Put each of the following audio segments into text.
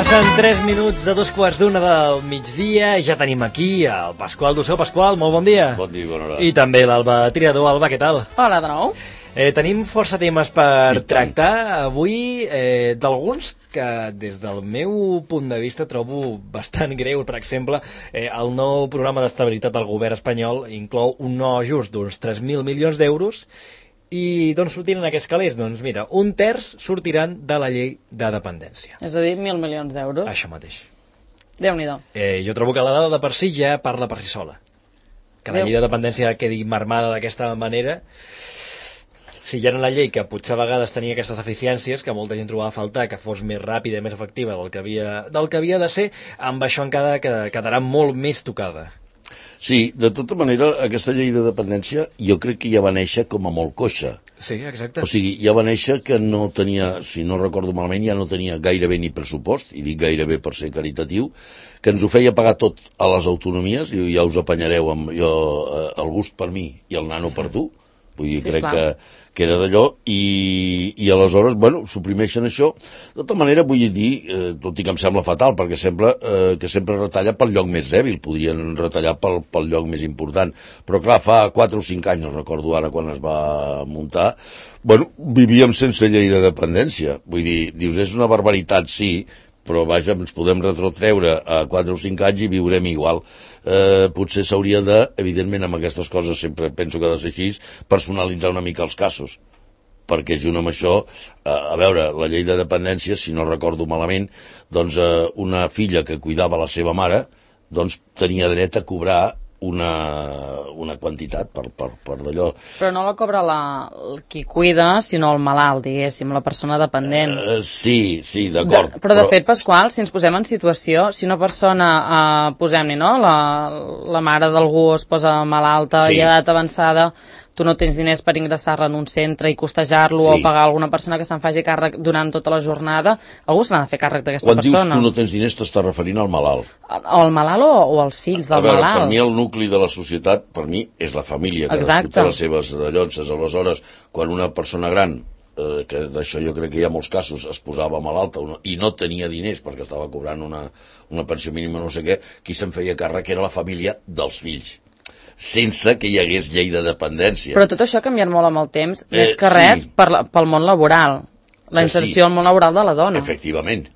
Passen 3 minuts de 2:15 del migdia i ja tenim aquí el Pasqual Dussó. Pasqual, molt bon dia. Bon dia, bona hora. I també l'Alba Triador. Alba, què tal? Hola de nou. Tenim força temes per tractar avui, d'alguns que des del meu punt de vista trobo bastant greu. Per exemple, el nou programa d'estabilitat del govern espanyol inclou un nou ajust d'uns 3.000 milions d'euros. I d'on sortiran aquests calés? Doncs mira, un terç sortiran de la llei de dependència. És a dir, 1.000 milions d'euros. Això mateix. Déu-n'hi-do. Jo trobo que la dada de per si ja parla per si sola. Que la llei de dependència quedi marmada d'aquesta manera, si ja en la llei, que potser a vegades tenia aquestes deficiències, que molta gent trobava a faltar, que fos més ràpida i més efectiva del que havia de ser, amb això encara quedarà molt més tocada. Sí, de tota manera, aquesta llei de dependència jo crec que ja va néixer com a molt coixa. Sí, exacte. O sigui, ja va néixer que no tenia, si no recordo malament, ja no tenia gairebé ni pressupost, i dic gairebé per ser caritatiu, que ens ho feia pagar tot a les autonomies, i ja us apanyareu amb el gust per mi i el nano per tu. Vull dir, sí, crec que era d'allò, i aleshores, bueno, suprimeixen això. De tota manera, vull dir, tot i que em sembla fatal, perquè sembla que sempre retalla pel lloc més dèbil, podrien retallar pel lloc més important. Però clar, fa 4 o 5 anys, no recordo ara quan es va muntar, bueno, vivíem sense llei de dependència. Vull dir, dius, és una barbaritat, sí, però vaja, ens podem retrotreure a 4 o 5 anys i viurem igual. Potser s'hauria de, evidentment amb aquestes coses sempre penso que ha de ser així, personalitzar una mica els casos, perquè junt amb això, a veure, la llei de dependència, si no recordo malament, doncs una filla que cuidava la seva mare, doncs tenia dret a cobrar una quantitat per d'allò. Però no la cobra qui cuida, sinó el malalt, diguéssim, la persona dependent. Sí, d'acord. Però de fet, Pasqual, si ens posem en situació, si una persona, posem-hi, no?, la mare d'algú es posa malalta i a edat avançada, tu no tens diners per ingressar-la en un centre i costejar-lo o pagar alguna persona que se'n faci càrrec durant tota la jornada, algú se n'ha de fer càrrec d'aquesta persona. Quan dius tu no tens diners t'estàs referint al malalt. O al malalt o als fills del malalt. A veure, per mi el nucli de la societat, per mi, és la família, que té les seves llonces. Aleshores, quan una persona gran, que d'això jo crec que hi ha molts casos, es posava malalta i no tenia diners perquè estava cobrant una pensió mínima no sé què, qui se'n feia càrrec era la família dels fills, sense que hi hagués llei de dependència. Però tot això ha canviat molt amb el temps, més que res pel món laboral, la inserció al món laboral de la dona. Efectivament,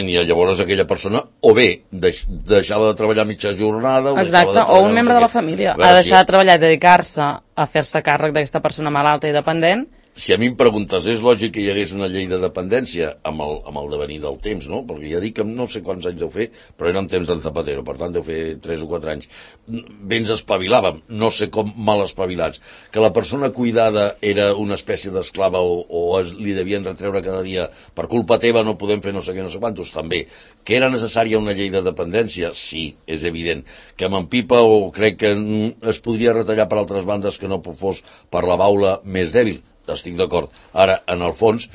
i llavors aquella persona o bé deixava de treballar mitja jornada o un membre de la família ha deixat de treballar i dedicar-se a fer-se càrrec d'aquesta persona malalta i dependent. Si a mi em preguntes, és lògic que hi hagués una llei de dependència amb el devenir del temps, no? Perquè ja dic que no sé quants anys deu fer, però eren temps d'en Zapatero, per tant deu fer 3 o 4 anys. Bé ens espavilàvem, no sé com mal espavilats. Que la persona cuidada era una espècie d'esclava o li devien retreure cada dia per culpa teva no podem fer no sé què, no sé quantos, també. Que era necessària una llei de dependència? Sí, és evident. Que m'empipa o crec que es podria retallar per altres bandes que no fos per la baula més dèbil? Estic d'acord. Ara, en el fons,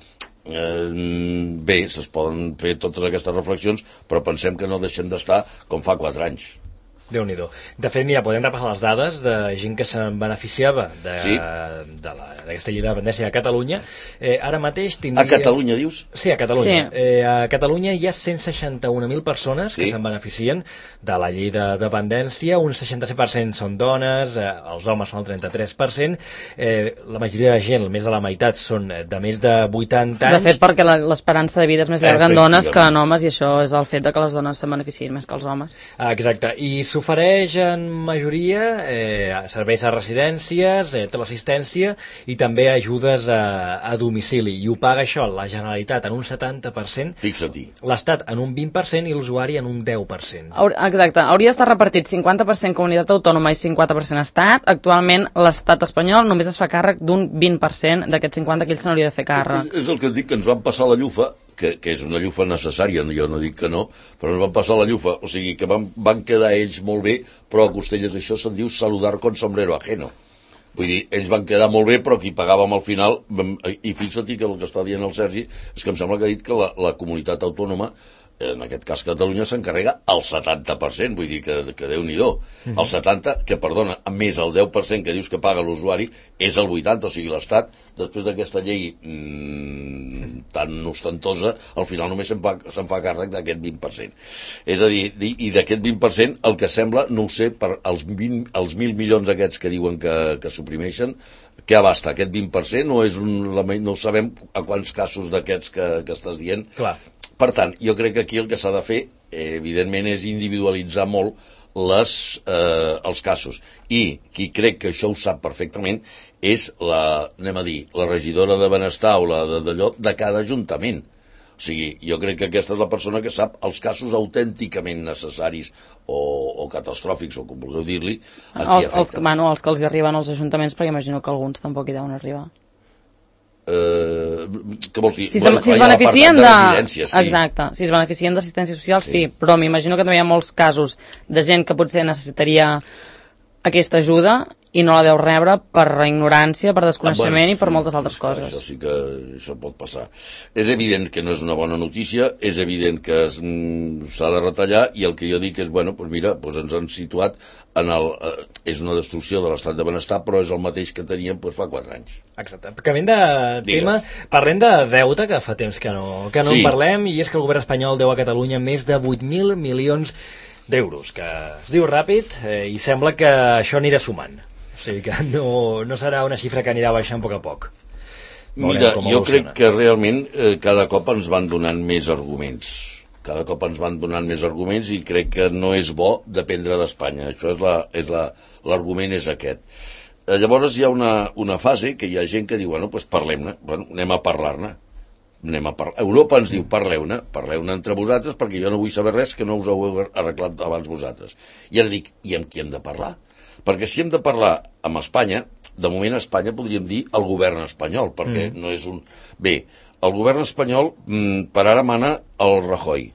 bé, es poden fer totes aquestes reflexions, però pensem que no deixem d'estar com fa 4 anys. Déu-n'hi-do. De fet, mira, podem repassar les dades de gent que se'n beneficiava d'aquesta llei de dependència a Catalunya. Ara mateix tindria... A Catalunya, dius? Sí, a Catalunya. Sí. A Catalunya hi ha 161.000 persones que se'n beneficien de la llei de dependència. Un 66% són dones, els homes són el 33%. La majoria de gent, més de la meitat, són de més de 80 anys. De fet, perquè l'esperança de vida és més llarga en dones que en homes, i això és el fet de que les dones se'n beneficien més que els homes. Exacte. I s'ofereix en majoria serveis a residències, teleassistència i també ajudes a domicili. I ho paga això la Generalitat en un 70%, fixa-t'hi, l'Estat en un 20% i l'usuari en un 10%. Exacte. Hauria d'estar repartit 50% comunitat autònoma i 50% Estat. Actualment l'Estat espanyol només es fa càrrec d'un 20% d'aquest 50% que ell se n'hauria de fer càrrec. És el que et dic, que ens van passar la llufa, que és una llufa necessària, jo no dic que no, però ens van passar la llufa, o sigui que van quedar ells molt bé, però a Costelles això se'n diu saludar con sombrero ajeno. Vull dir, ells van quedar molt bé, però qui pagàvem al final, i fixa't que el que està dient el Sergi és que em sembla que ha dit que la comunitat autònoma en aquest cas Catalunya s'encarrega el 70%, vull dir que Déu-n'hi-do. El 70%, que perdona, més el 10% que dius que paga l'usuari, és el 80%, o sigui, l'Estat, després d'aquesta llei tan ostentosa, al final només se'n fa càrrec d'aquest 20%. És a dir, i d'aquest 20%, el que sembla, no ho sé, per els 1.000 milions aquests que diuen que suprimeixen, què abasta? Aquest 20% o és no sabem a quants casos d'aquests que estàs dient? Clar. Per tant, jo crec que aquí el que s'ha de fer, evidentment, és individualitzar molt els casos. I qui crec que això ho sap perfectament és la regidora de Benestar o la d'allò de cada ajuntament. O sigui, jo crec que aquesta és la persona que sap els casos autènticament necessaris o catastròfics, o com vulgueu dir-li, els que els arriben als ajuntaments, perquè imagino que alguns tampoc hi deuen arribar. Què vols dir? Si es beneficien Exacte, si es beneficien d'assistència social, sí, però m'imagino que també hi ha molts casos de gent que potser necessitaria aquesta ajuda i no la deu rebre per ignorància, per desconeixement i per moltes altres coses. Això sí que això pot passar. És evident que no és una bona notícia, és evident que s'ha de retallar, i el que jo dic és, bueno, doncs mira, ens han situat és una destrucció de l'estat de benestar, però és el mateix que teníem fa 4 anys. Exacte. Canviant de tema, parlem de deute, que fa temps que no en parlem, i és que el govern espanyol deu a Catalunya més de 8.000 milions d'euros, que es diu ràpid, i sembla que això anirà sumant. O sigui que no serà una xifra que anirà baixant a poc. Mira, jo crec que realment cada cop ens van donant més arguments. I crec que no és bo dependre d'Espanya. Això és l'argument és aquest. Llavors hi ha una fase que hi ha gent que diu, bueno, doncs parlem-ne, anem a parlar-ne. Europa ens diu, parleu-ne entre vosaltres, perquè jo no vull saber res que no us ho heu arreglat abans vosaltres. I ara dic, i amb qui hem de parlar? Perquè si hem de parlar amb Espanya, de moment a Espanya podríem dir el govern espanyol, perquè no és un... Bé, el govern espanyol per ara mana el Rajoy.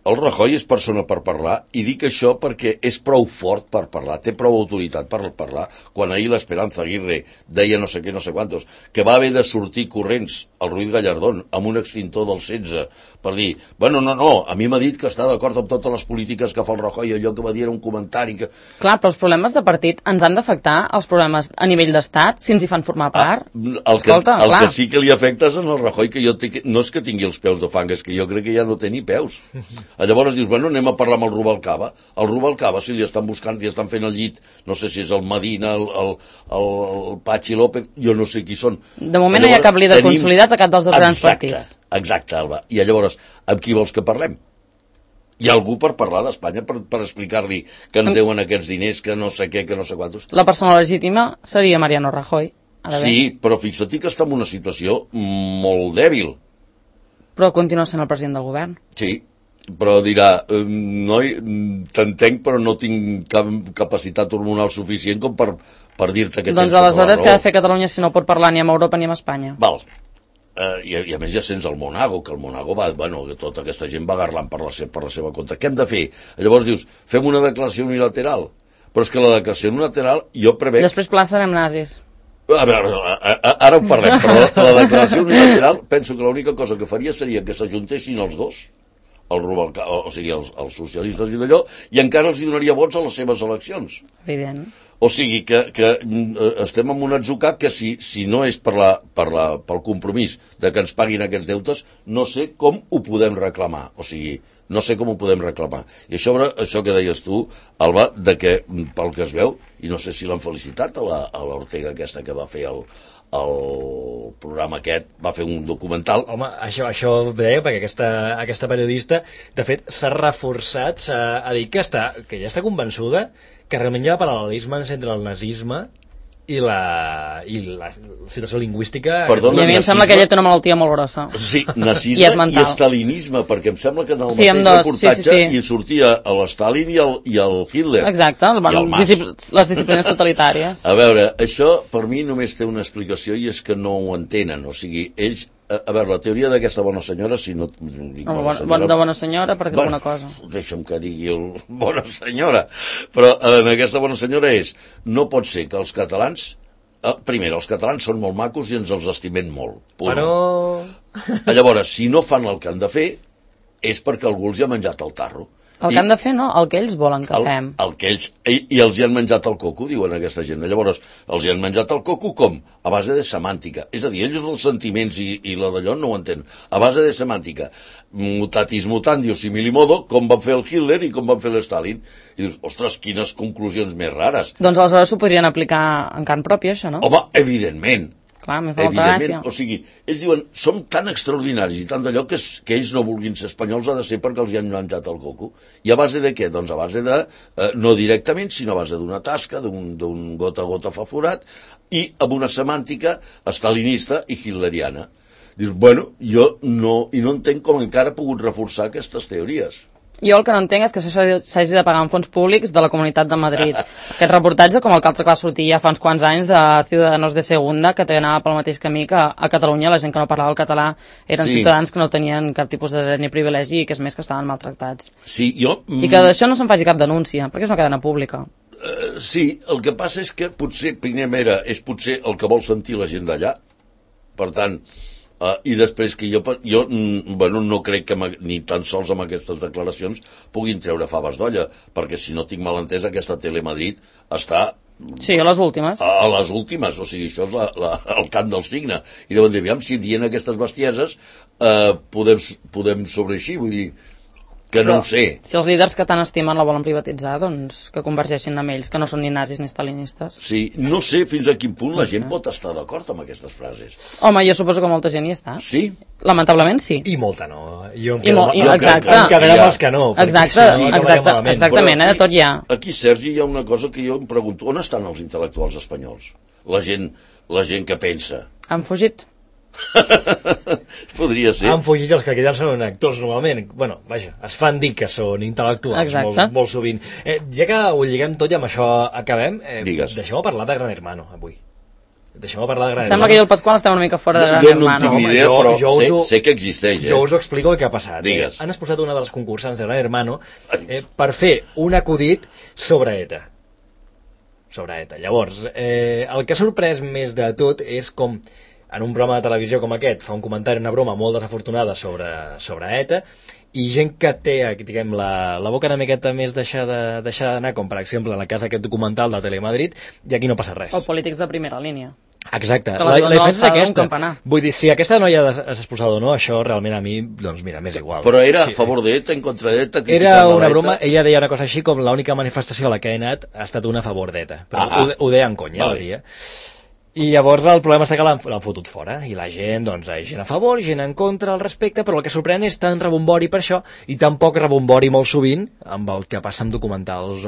El Rajoy és persona per parlar, i dic això perquè és prou fort per parlar, té prou autoritat per parlar. Quan ahir l'Esperanza Aguirre deia no sé què, no sé quantos, que va haver de sortir corrents al Ruiz Gallardón amb un extintor del 16 per dir, bueno, no, a mi m'ha dit que està d'acord amb totes les polítiques que fa el Rajoy, allò que va dir era un comentari que... Clar, però els problemes de partit ens han d'afectar, els problemes a nivell d'estat, si ens hi fan formar part. El que sí que li afecta és en el Rajoy, que no és que tingui els peus de fang, és que jo crec que ja no té ni peus. Llavors dius, bueno, anem a parlar amb el Rubalcaba. El Rubalcaba, si li estan buscant, li estan fent el llit, no sé si és el Medina, el Pachi López, jo no sé qui són. De moment no hi ha cap líder consolidat a cap dels dos grans partits. Exacte, Alba. I llavors, amb qui vols que parlem? Hi ha algú per parlar d'Espanya, per explicar-li que ens deuen aquests diners, que no sé què, que no sé quantos? La persona legítima seria Mariano Rajoy. Sí, però fixa't que està en una situació molt dèbil. Però continua sent el president del govern. Sí, però dirà, noi, t'entenc, però no tinc cap capacitat hormonal suficient com per dir-te que tens doncs aleshores què ha de fer Catalunya si no pot parlar ni amb Europa ni amb Espanya? Val. I a més ja sents el Monago, que el Monago va, bueno, que tota aquesta gent va garlant per la seva compte. Què hem de fer? Llavors dius, fem una declaració unilateral. Però és que la declaració unilateral jo prevec... Després serem nazis. A veure, ara ho parlem, però la declaració unilateral penso que l'única cosa que faria seria que s'ajuntessin els dos, o sigui, els socialistes i d'allò, i encara els donaria vots a les seves eleccions. Evident. O sigui que estem en un atzucac que si no és pel compromís de que ens paguin aquests deutes, no sé com ho podem reclamar. O sigui, no sé com ho podem reclamar. I això que deies tu, Alba, de que pel que es veu, i no sé si l'han felicitat a l'Ortega aquesta que va fer el programa aquest, va fer un documental. Home, això deia, perquè aquesta periodista, de fet, s'ha reforçat, s'ha dit que ja està convençuda que realment hi ha paral·lelismes entre el nazisme i la situació lingüística. Perdona, i a mi em sembla que ella té una malaltia molt grossa. Sí, nazisme i estalinisme, perquè em sembla que en el mateix reportatge hi sortia l'Stalin i el Hitler. Exacte, les disciplines totalitàries. A veure, això per mi només té una explicació, i és que no ho entenen. O sigui, ells... A veure, la teoria d'aquesta bona senyora, si no dic bona senyora... De bona senyora, perquè és bona cosa. Deixa'm que digui bona senyora. Però en aquesta bona senyora no pot ser que els catalans... Primer, els catalans són molt macos i ens els estimem molt. Però... Llavors, si no fan el que han de fer, és perquè algú els hi ha menjat el tarro. El que han de fer, no? El que ells volen que fem. El que ells... I els hi han menjat el coco, diuen aquesta gent. Llavors, els hi han menjat el coco com? A base de semàntica. És a dir, ells els sentiments i la d'allò no ho entenen. A base de semàntica. Mutatis mutandis similimodo, com van fer el Hitler i com van fer l'Stalin. I dius, ostres, quines conclusions més rares. Doncs aleshores s'ho podrien aplicar en carn pròpia, això, no? Home, evidentment. Clar, m'he fa molta gràcia. O sigui, ells diuen, som tan extraordinaris i tant d'allò que ells no vulguin ser espanyols ha de ser perquè els hi han menjat el coco. I a base de què? Doncs a base de, no directament, sinó a base d'una tasca, d'un gota a gota fa forat, i amb una semàntica estalinista i hitleriana. Dius, bueno, jo no entenc com encara ha pogut reforçar aquestes teories. Jo el que no entenc és que això s'hagi de pagar amb fons públics de la Comunitat de Madrid. Aquest reportatge, com el que altre que va sortir ja fa uns quants anys de Ciudadanos de Segunda, que anava pel mateix camí que a Catalunya la gent que no parlava el català eren ciutadans que no tenien cap tipus de dret ni privilegi i que és més que estaven maltractats. Sí, I que d'això no se'n faci cap denúncia, perquè és una cadena pública. Sí, el que passa és que potser, primer és potser el que vol sentir la gent d'allà, per tant... I després que jo no crec que ni tan sols amb aquestes declaracions puguin treure faves d'olla, perquè si no tinc mal entès aquesta Telemadrid està... Sí, a les últimes. A les últimes, o sigui, això és el cant del cigne. I deuen dir, aviam, si dient aquestes bestieses podem sobreeixir, vull dir... que no ho sé. Si els líders que tant estimen la volen privatitzar, doncs que convergeixin amb ells, que no són ni nazis ni stalinistes. Sí, no sé fins a quin punt la gent pot estar d'acord amb aquestes frases. Home, jo suposo que molta gent hi està. Sí? Lamentablement sí. I molta no. Em quedarem els que no. Exactament, tot hi ha. Aquí, Sergi, hi ha una cosa que jo em pregunto, on estan els intel·lectuals espanyols? La gent que pensa. Han fugit. Podria ser. Han fugit els que queden són actors normalment. Bueno, vaja, es fan dir que són intel·lectuals molt sovint. Ja que ho lliguem tot i amb això acabem, deixeu-me parlar de Gran Hermano avui. Deixeu-me parlar de Gran Hermano. Sembla que jo i el Pasqual estem una mica fora de Gran Hermano. Jo no tinc ni idea, però sé que existeix. Jo us ho explico el que ha passat. Han expulsat una de les concursants de Gran Hermano per fer un acudit sobre ETA. Llavors, el que ha sorprès més de tot és com en un programa de televisió com aquest fa un comentari, una broma molt desafortunada sobre ETA, i gent que té, diguem, la boca una miqueta més deixada d'anar, com per exemple en el cas d'aquest documental de Telemadrid, i aquí no passa res. O polítics de primera línia. Exacte, la diferència és aquesta. Vull dir, si aquesta noia és expulsada o no, això realment a mi, doncs mira, m'és igual. Però era a favor d'ETA, en contra d'ETA? Era una broma, ella deia una cosa així com l'única manifestació a la que he anat ha estat una a favor d'ETA, però ho deia en conya, ho dia. I llavors el problema està que l'han fotut fora, i la gent, doncs, hi ha gent a favor, gent en contra al respecte, però el que sorprèn és tant rebombori per això, i tan poc rebombori molt sovint amb el que passa amb documentals,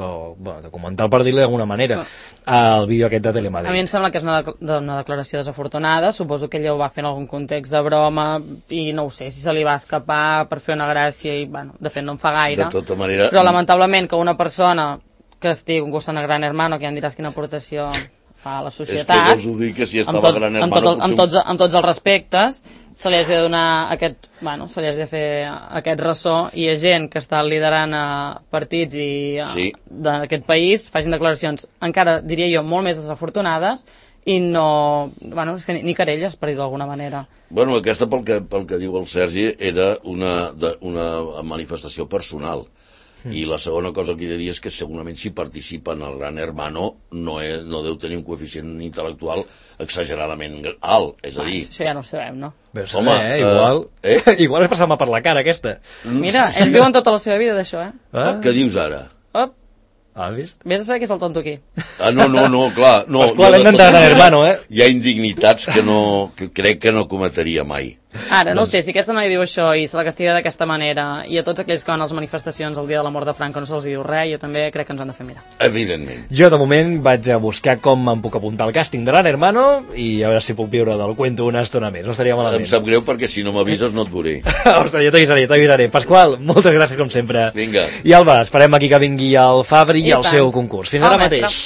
documental per dir-li d'alguna manera, el vídeo aquest de Telemadrid. A mi em sembla que és una declaració desafortunada, suposo que ella ho va fer en algun context de broma, i no ho sé, si se li va escapar per fer una gràcia, i bueno, de fet no en fa gaire. De tota manera... Però lamentablement que una persona que estigui concursant a Gran Hermano, que ja em diràs quina aportació a la societat, és que vols dir que si estava Gran Hermano amb tots els respectes, se li hagi de donar se li hagi de fer aquest ressò, i hi ha gent que està liderant partits d'aquest país, facin declaracions encara, diria jo, molt més desafortunades, i no, és que ni querelles, per dir d'alguna manera. Bueno, aquesta, pel que diu el Sergi, era una manifestació personal. I la segona cosa que he de dir és que segurament si participa en el Gran Hermano no deu tenir un coeficient intel·lectual exageradament alt, és a dir... Això ja no ho sabem, no? Home, igual és passar-me per la cara, aquesta. Mira, ells viuen tota la seva vida d'això, Què dius ara? Vist? Vés a saber qui és el tonto aquí. No, clar. Pasqual, hem d'entrar a Gran Hermano, Hi ha indignitats que crec que no cometria mai. Ara, no sé, si aquesta noia diu això i se la castiga d'aquesta manera, i a tots aquells que van a les manifestacions el dia de la mort de Franco no se'ls diu res, jo també crec que ens han de fer mirar. Evidentment. Jo, de moment, vaig a buscar com em puc apuntar al càsting de Gran Hermano i a veure si puc viure del cuento una estona més. No estaria malament. Em sap greu perquè si no m'avises no et veuré. Ostres, jo t'avisaré. Pasqual, moltes gràcies com sempre. Vinga. I Alba, esperem aquí que vingui el Fabri i el seu concurs. Fins ara mateix.